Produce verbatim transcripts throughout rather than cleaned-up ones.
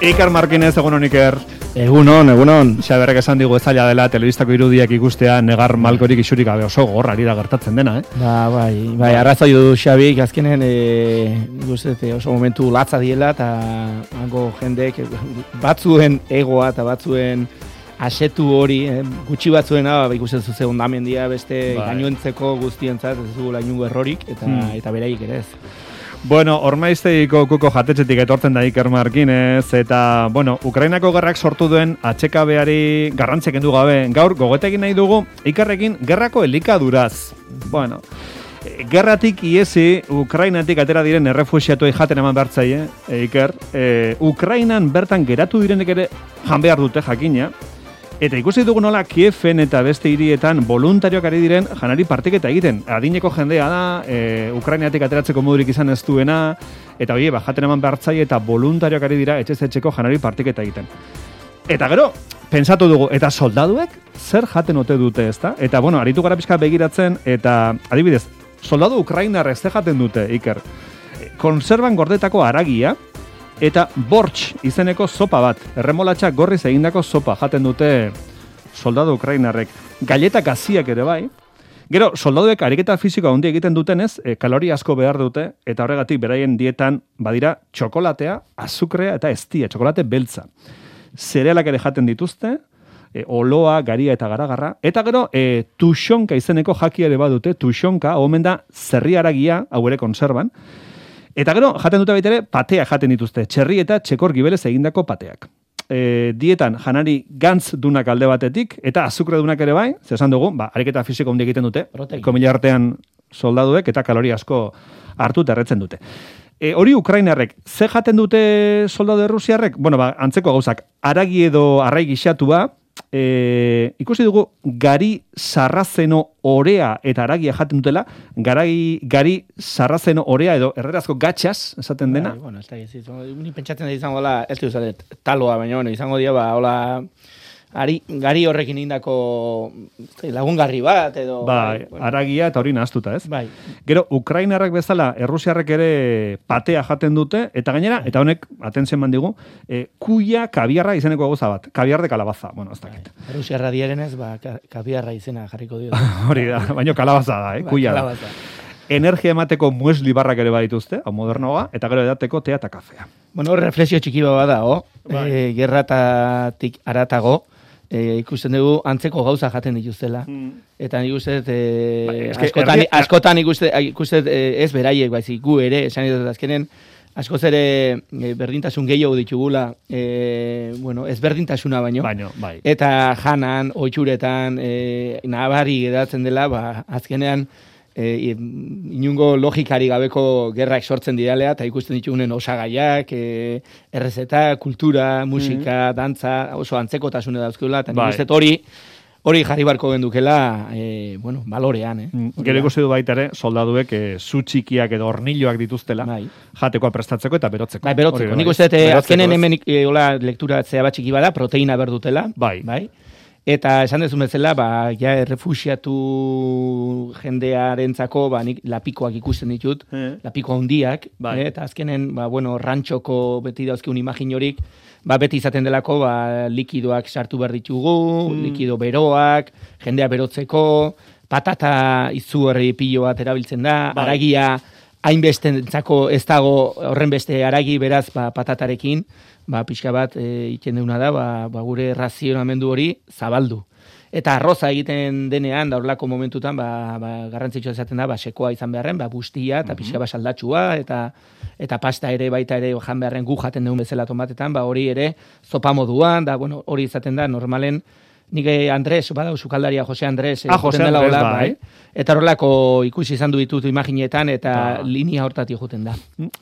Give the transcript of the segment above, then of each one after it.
Iker Markinez, egunon Iker. Egunon, egunon. Xaberrek esan digu ez zaila dela telebistako irudiak ikustea negar malkorik isurik gabe oso gorrari da gertatzen dena, eh? Ba, bai, bai, arrazoi du Xabik, azkenen e, guztete oso momentu latza diela, eta hango jendek batzuen egoa eta batzuen asetu hori, eh, gutxi batzuena, ba, ikusten zuze ondamendia beste bai. Gainoentzeko guztientzat, ez dugu lainungo errorik, eta, hmm. eta beraiek ere ez. Bueno, Ormaizteiko kuko jatetxetik etortzen da Iker Markinez, eta, bueno, Ukrainako gerrak sortu duen atxekabeari garrantzia kendu gabe. Gaur, gogoetekin nahi dugu, Ikerrekin gerrako elikaduraz. Bueno, gerratik iesi, Ukrainatik atera diren errefuxiatuei jaten eman behartzaie, e, Iker. E, Ukrainan bertan geratu direnek ere jan behar dute jakina. Eta ikusi dugu nola Kieven eta beste hirietan voluntarioak ari diren janari partiketa egiten. Adineko jendea da, e, Ukrainatik ateratzeko modurik izan ez duena, eta oie, jaten eman behartzaile eta voluntarioak ari dira etxez etxeko janari partiketa egiten. Eta gero, pentsatu dugu, eta soldaduek zer jaten ote dute, ezta? Eta, bueno, aritu gara pixka begiratzen, eta adibidez, soldadu Ukrainarrek zer jaten dute, Iker? Konserban gordetako haragia, eta bortx izeneko sopa bat, erremolatxa gorriz egindako sopa jaten dute soldadu Ukrainarrek. Galetak gaziak ere bai. Gero, soldaduek ariketa fisikoa handi egiten dutenez, e, kalori asko behar dute, eta horregatik beraien dietan badira txokolatea, azukrea eta eztia, txokolate beltza. Zerealak ere jaten dituzte, e, oloa, garia eta garagarra, eta gero, e, tuxonka izeneko jakia ere badute, tuxonka, omen da zerri haragia, hau ere konserban. Eta gero, jaten dute baitere, pateak jaten dituzte, txerri eta txekor gibelez egindako pateak. E, dietan, janari gantz dunak alde batetik, eta azukre dunak ere bai, zesan dugu, ba, ariketa fisiko hundi egiten dute, komila artean soldaduek, eta kalori asko hartu terretzen dute. E, hori Ukrainarrek, ze jaten dute soldadu errusiarrek? Bueno, ba, antzeko gauzak, aragi edo arrai gixatua, E, ikusi dugu gari sarrazeno orea eta aragia jaten dutela, gari, gari sarrazeno orea edo errerazko gatxas esaten dena. Bai, bueno, ez da, ez da, ni pentsatzen da izango da, ez du zaret, taloa, baina, bueno, izango dira, ba, hola, ari, gari horrekin indako lagungarri bat, edo... Bai, bueno. Aragia eta hori nahaztuta, ez? Bai. Gero, Ukrainarrak bezala, errusiarrek ere patea jaten dute, eta gainera, eta honek, atentzen mandigu, e, kuia kabiarra izeneko gauza bat, kabiar de kalabaza, bueno, ez dakit. Bai. Errusiarra dierenez, ba, kabiarra izena jarriko dio. Hori da, baina kalabaza da, eh? Ba, kuia da. kalabaza. Energia emateko muesli barrak ere badituzte, hau modernoa, eta gero edateko tea eta kafea. Bueno, reflexio txiki bat da, oh? Bai. E, gerratatik aratago, E, ikusten dugu antzeko gauza jaten dituztela. Mm. Eta nik uste, e, bai, askotan, erdi... askotan ikuste, ikuste e, ez beraiek, baizik gu ere, esan dut azkenen, askoz ere e, berdintasun gehiago ditugula, e, bueno, ez berdintasuna baino. Baino, bai. Eta janan, oitxuretan, e, nabari edatzen dela, ba, azkenean, E, inungo logikari gabeko gerrak sortzen diralea, eta ikusten ditugunen osagaiak, e, errezeta, kultura, musika, mm-hmm. dantza, oso antzekotasune dauzkeula, eta nik bai. Uste hori hori jarri barko gendukela, e, bueno, balorean, eh? Mm, gero ikusi du baita ere, soldaduek e, zu txikiak edo hornilloak dituztela, bai. Jatekoa prestatzeko eta berotzeko. Bai, berotzeko. Nik uste, bai. Azkenen hemen e, hola, lekturatzea bat txiki bada, proteina berdutela, bai. Bai. Eta esan dezu bezala, ba, ja, errefuxiatu jendearentzako, ba, nik lapikoak ikusten ditut, eh. lapiko handiak, bai. eh, eta azkenen, ba, bueno, rantxoko beti dauzkeun imagin horik, ba, beti izaten delako, ba, likidoak sartu behar ditugu, mm. likido beroak, jendea berotzeko, patata izugarri pilo bat erabiltzen da, bai. Aragia hainbestentzako ez dago horren beste aragi beraz, ba, patatarekin, ba, pixka bat e, iten deuna da, ba, ba, gure razionamendu hori zabaldu. Eta arroza egiten denean, da horlako momentutan, ba, ba, garrantzitsua izaten da, ba, sekoa izan beharren, ba, bustia, eta pixka bat saldatxua, eta, eta pasta ere, baita ere, jan beharren gu jaten deun bezala tomatetan, ba, hori ere, zopa moduan, da, bueno, hori izaten da, normalen, nik Andres, badau, sukaldaria Jose Andres, ah, Jose Andres, hola, bai. bai. Eta horrelako ikusi izan du ditut imaginetan, eta ba. Linea hortatik juten da.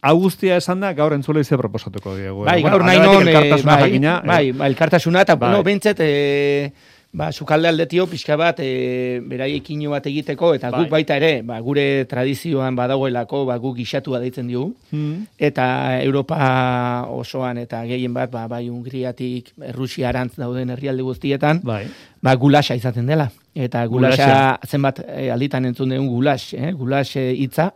Hau guztia esan da, gaur entzule ize proposatuko diegu. Bai, gaur nahi non, bai, bai, elkartasuna, eta, bai. Bueno, bentzet, e, ba, sukalde aldetio pixka bat, e, beraiekin bat egiteko, eta bai. Guk baita ere, ba, gure tradizioan badagoelako, ba, guk gixatua deitzen diogu, hmm. eta Europa osoan, eta gehien bat, ba, bai, Hungriatik, Errusiarantz dauden herrialde guztietan, bai. Ba, gulasa izaten dela. Eta gulasa, zenbat e, alditan entzun dugun gulas, eh? Gulas hitza,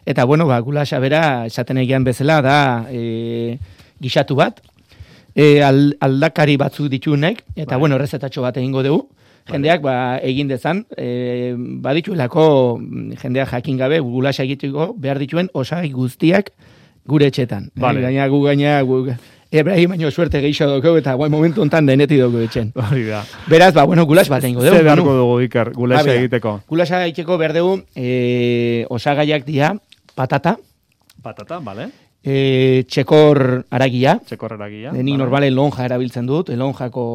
eta, bueno, ba, gulasa bera, esaten egian bezala, da, e, gixatu bat, e, aldakari batzuk ditunek, eta bai. Bueno, errezetatxo bat egingo dugu. Jendeak ba, egin dezan, e, badituelako jendeak jakin gabe gulasa egiteko behar dituen osagai guztiak gure etxetan. Vale. E, gaina gu gaina gu, Ebrahim baino suerte geixo dugu eta guai momentu hontan deneti dugu etxen. Hori da. Beraz, ba, bueno, gulas bat egingo dugu. Zer beharko dugu, Iker, gulasa egiteko? Gulasa egiteko behar dugu e, osagaiak dira patata. Patata, bale. E, txekor aragia. Txekor aragia. Nik vale. Normalen lonja erabiltzen dut, lonjako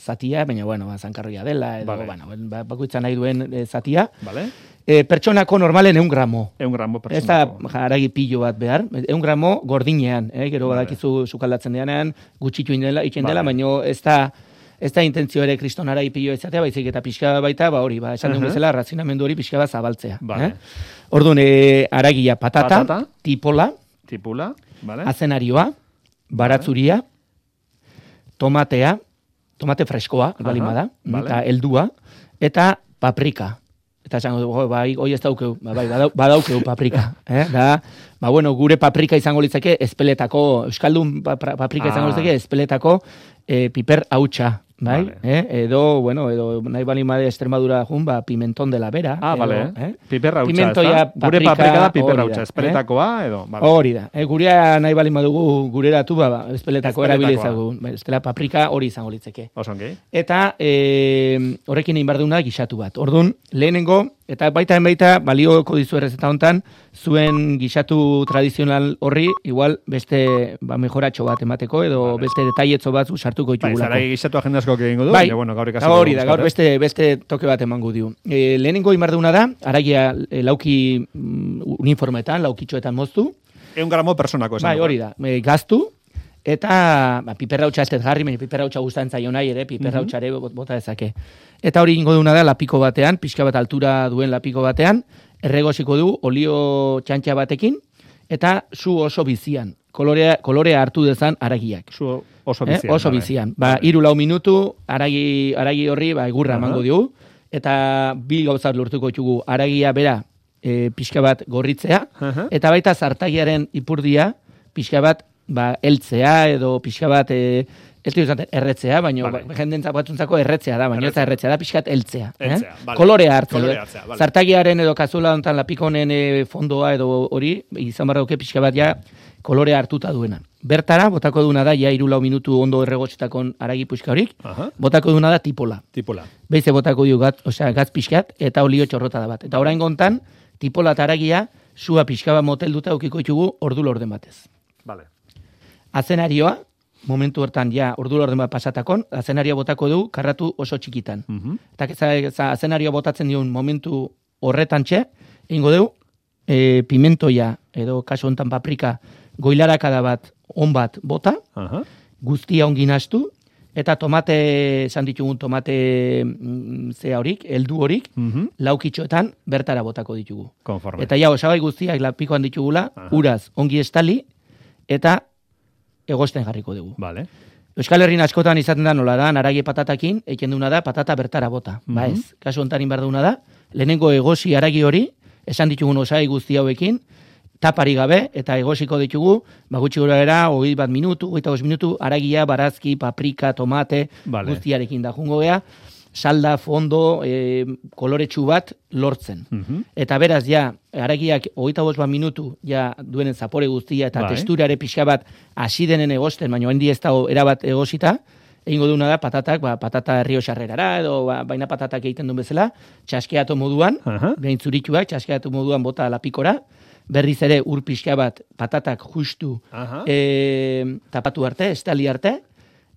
zatia, baina, bueno, ba, zankarroia dela, edo, vale. Bueno, ba, bakoitza nahi duen e, zatia. Vale. E, pertsonako normalen eun gramo. Eun gramo pertsonako. Ez da haragi pilo bat behar. Eun gramo gordinean, eh? Gero vale. Badakizu sukaldatzen deanean, gutxitu indela, itxen dela, vale. Baina ez da, ez da intentzio ere kriston haragi pilo izatea, baizik eta pixka baita, ba hori, ba, esan uh -huh. duen bezala, razionamendu hori pixka bat zabaltzea. Vale. Eh? Orduan, e, haragia patata, patata, tipola, tipula, vale. Azenarioa, baratzuria, vale. Tomatea, tomate freskoa, uh -huh. balima da, vale. Eta heldua, eta paprika. Eta esango dugu, bai, hoi ez daukeu, bai, badaukeu paprika. Eh? Da, ba, bueno, gure paprika izango litzake, espeletako, euskaldun paprika izango litzake, espeletako eh, piper hautsa. Bai, vale. eh? Edo, bueno, edo nahi bali made Extremadura jun, ba, pimentón de la vera. Ah, edo, vale. Eh? Piperra hautsa, ez da? Gure paprika da piperra hautsa, espeletakoa, edo? Vale. Hori da. Eh, gurea nahi bali madugu gureratu, ba, espeletako erabilizagu. Estela paprika hori izango litzeke. Osongi. Eta eh, horrekin egin behar duna gixatu bat. Orduan, lehenengo, eta baita baita balioko dizu errezeta hontan, zuen gixatu tradizional horri, igual beste ba, mejoratxo bat emateko, edo vale. Beste detaietzo bat sartuko itxugulako. Bai, zarai gixatu agendasko egingo du, bai, baina, bueno, gaur ikasiko. Hori da, gaur beste, beste toke bat emango dio. E, lehenengo imarduna da, aragia e, lauki mm, uniformetan, laukitxoetan moztu. Eun gramo personako esan. Bai, hori da, e, gaztu, eta ba, piperra hautsa ez jarri, baina piperra hautsa guztan zaio nahi ere, piperra hautsa ere bota dezake. Eta hori ingo duna da, lapiko batean, pixka bat altura duen lapiko batean, erregosiko du olio txantxa batekin, eta su oso bizian. Kolorea, kolorea hartu dezan aragiak. Su oso bizian. Eh? Oso bizian. Ba, iru lau minutu, aragi, aragi horri, ba, egurra emango uh -huh. digu, eta bi gauzat lortuko ditugu aragia bera e, pixka bat gorritzea, uh -huh. eta baita zartagiaren ipurdia pixka bat ba, eltzea, edo pixka bat e, ez dira erretzea, baina vale. Ba, jendentzak batzuntzako erretzea da, baina ez da erretzea da, pixkat eltzea. Eltzea, eh? vale. Kolorea hartzea. Kolorea hartzea, vale. Zartagiaren edo kazula hontan lapikonen e, fondoa edo hori, izan barra duke pixka bat ja kolorea hartuta duena. Bertara, botako duna da, ja irulau minutu ondo erregotxetakon aragi puxka horik, uh-huh. botako duna da tipola. Tipola. Beize botako du gat, osea, gaz pixkat, eta olio txorrota da bat. Eta orain gontan, tipola eta aragia, sua pixka bat motel duta ukiko ditugu ordu lorden batez. Vale. Azenarioa, momentu hortan ja ordu lorden bat pasatakon, azenarioa botako du karratu oso txikitan. Uh-huh. Eta azenarioa botatzen diun momentu horretan txe, egingo dugu, e, pimentoia, edo kaso hontan paprika, goilarakada bat, on bat bota, uh-huh. guztia ongin astu, eta tomate, esan ditugun tomate mm, zea horik, heldu horik, uh-huh. laukitxoetan bertara botako ditugu. Konforme. Eta ja, osagai guztiak lapikoan ditugula, uh-huh. uraz ongi estali, eta egosten jarriko dugu. Vale. Euskal Herrin askotan izaten da nola da, aragi patatakin, eiken duna da, patata bertara bota. Uh-huh. Ba ez, kasu hontan inbar duna da, lehenengo egosi aragi hori, esan ditugun osagai guzti hauekin, tapari gabe, eta egosiko ditugu, bagutxi gura era, hogei bat minutu, hogeita bost minutu, aragia, barazki, paprika, tomate, vale. Guztiarekin da jungo gea, salda, fondo, e, koloretsu bat lortzen. Uh-huh. Eta beraz, ja, aragiak hogeita bost bat minutu, ja, duenen zapore guztia, eta bai. Testurare pixka bat hasi denen egosten, baina hendi ez da erabat egosita, egingo duna da, patatak, ba, patata errioxarrerara, edo ba, baina patatak egiten duen bezala, txaskeatu moduan, uh-huh. behin zurituak, txaskeatu moduan bota lapikora, berriz ere ur pixka bat patatak justu uh-huh. e, tapatu arte, estali arte,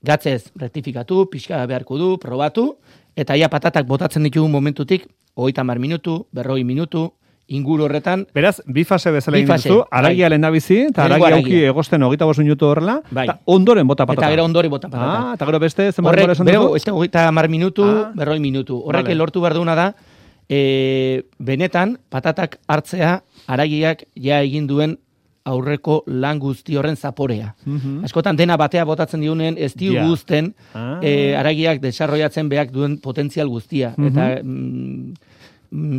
gatzez rektifikatu, pixka beharko du, probatu, eta ja patatak botatzen ditugun momentutik, hogeita hamar minutu, berroi minutu, inguru horretan. Beraz, bi fase bezala egin duzu, aragia lehen da bizi, eta aragia auki egosten hogeita bost minutu horrela, bai. Eta ondoren bota patata. Eta gero ondoren bota patata. Ah, eta gero beste, zenbat denbora esan duzu? Horrek, hogeita hamar minutu, ah. berroi minutu. Horrek vale. Lortu behar duna da, e, benetan, patatak hartzea, aragiak ja egin duen aurreko lan guzti horren zaporea. Uh-huh. Askotan dena batea botatzen diunen, ez diu yeah. guzten, ah. e, aragiak desarrollatzen behak duen potentzial guztia. Uh-huh. Eta mm,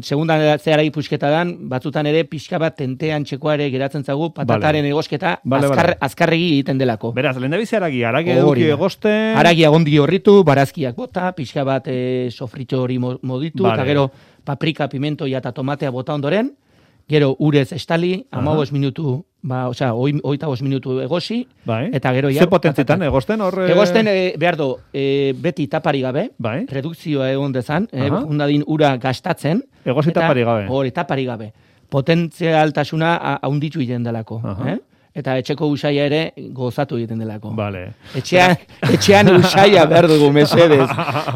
segunda zeharagi pusketa dan, batzutan ere pixka bat tentean txekoare geratzen zagu, patataren vale. egosketa vale, azkar, vale. azkarregi egiten delako. Beraz, lehen da bizi haragi, haragi eduki egoste... Haragi agondi horritu, barazkiak bota, pixka bat e, sofritxo hori moditu, vale. eta gero paprika, pimentoia eta tomatea bota ondoren, gero urez estali, amabos minutu, ba, osea, oita bos minutu egosi, bai. eta gero ja... Ze potentzitan egosten hor... Egosten, e, behar do, e, beti tapari gabe, bai. redukzioa egon dezan, e, undadin ura gastatzen. Egosi tapari gabe. Hori, tapari gabe. Potentzialtasuna haunditu egiten delako, eh? Eta etxeko usaia ere gozatu egiten delako. Vale. Etxean, etxean usaia behar dugu, mesedez.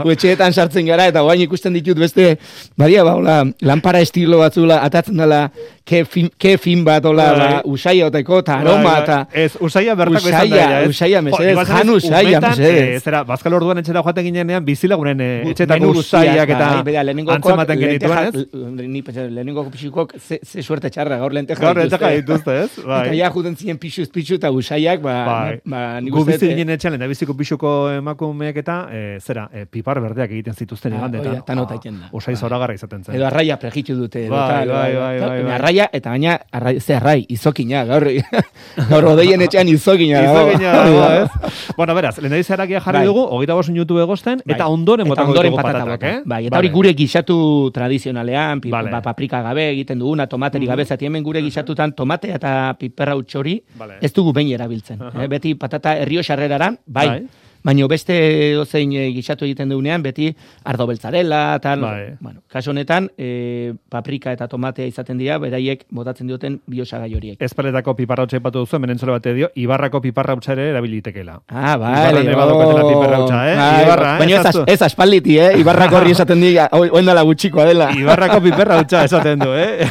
Etxeetan sartzen gara, eta guain ikusten ditut beste, badia, ba, hola, lampara estilo batzula, atatzen dela, ke fin, ke fin bat, hola, ba, usaia oteko, eta aroma, eta... Ez, usaia bertako izan da, ez? Usaia, mesedez, jan usaia, mesedez. Zera, bazkal orduan etxera joaten ginean, bizilagunen etxetako usaiak eta antzematen genituen, ez? Lehenengoko pixukok, ze suerte txarra, gaur lenteja Gaur lenteja dituzte, ez? Eta ja juten ziren pixuz pixu eta usaiak, ba... Gu bizi ginen etxan, eta biziko pixuko emakumeek eta, zera, pipar berdeak egiten zituzten igandetan. Eta nota iten da. Usai zoragarra izaten zen. Edo arraia pregitu dute. Bai, bai, bai. Arraia, eta baina, ze arrai, izokina, gaur rodeien etxean izokina. Izokina, ez? Bueno, beraz, lehen da izarakia jarri dugu, hogeita bost minutu egosten, eta ondoren botako ditugu patatak, eh? Bai, eta hori gure gixatu tradizionalean, paprika gabe egiten duguna, tomateri gabe, zati hemen gure gixatutan tomate eta piperra utxori, ez dugu behin erabiltzen. Beti patata errioxarreraran, bai, baina beste dozein gixatu egiten dugunean, beti ardo beltzarela, tal, bueno, kaso honetan, paprika eta tomatea izaten dira, beraiek botatzen dioten biosagai horiek. Ezpaletako piparra utxa ipatu duzu, menentzole bate dio, Ibarrako piparra utxa ere erabilitekela. Ah, bale, piparra utxa, eh? Ibarra, eh? Baina ez aspalditi, eh? Ibarrako horri esaten dira, oendala gutxikoa dela. Ibarrako piparra utxa esaten du, eh?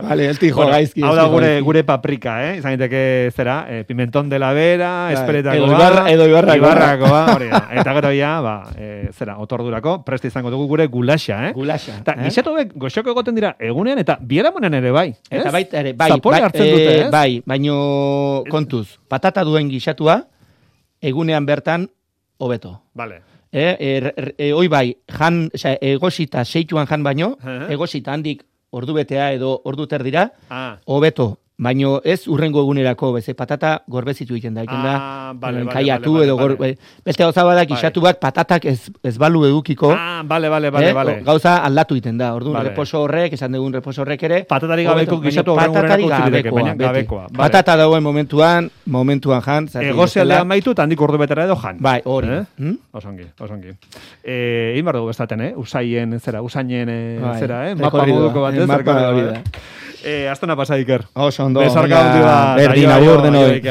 Vale, ez tijo gaizki. Hau da gure paprika, eh? Izan diteke, zera, pimentón de la vera, ezpaletako edo Ibarrako. Hori da. Eta gero ja, ba, e, zera, otordurako, preste izango dugu gure gulaxa, eh? Gulaxa. Eta eh? Gixatu hauek goxoko egoten dira egunean eta bieramunean ere bai, ez? Eta baita ere, bai. Zapore bai, hartzen dute, ez? Bai, baino kontuz, patata duen gixatua, egunean bertan, hobeto. Vale. E, er, er, e, oi bai, jan, oza, egosita seituan jan baino, uh-huh. egosita handik ordu betea edo ordu terdira, ah. hobeto. Baino ez urrengo egunerako, beze patata gorbezitu egiten da, egiten da, ah, vale, kaiatu vale, edo vale, vale. Beste gauza badak isatu bat patatak ez, ez balu edukiko. Ah, bale, bale, bale, eh? vale. Gauza aldatu egiten da, orduan vale. Reposo horrek, esan dugun reposo horrek ere. Patatari gabeko gisatu patatari gabekoa, baina gabekoa. Vale. Patata dauen momentuan, momentuan jan. Egose aldean maitu eta handik ordu betera edo jan. Bai, hori. Eh? Hmm? Osongi, osongi. Eh, Egin bardu bestaten, eh? Usaien, zera, usainen, bai. Zera, eh? Mapa moduko batez. Marka hori da. Eh, Astona pasa, Iker. Oso ondo. Besarka handi bat. Berdin, agur denoi.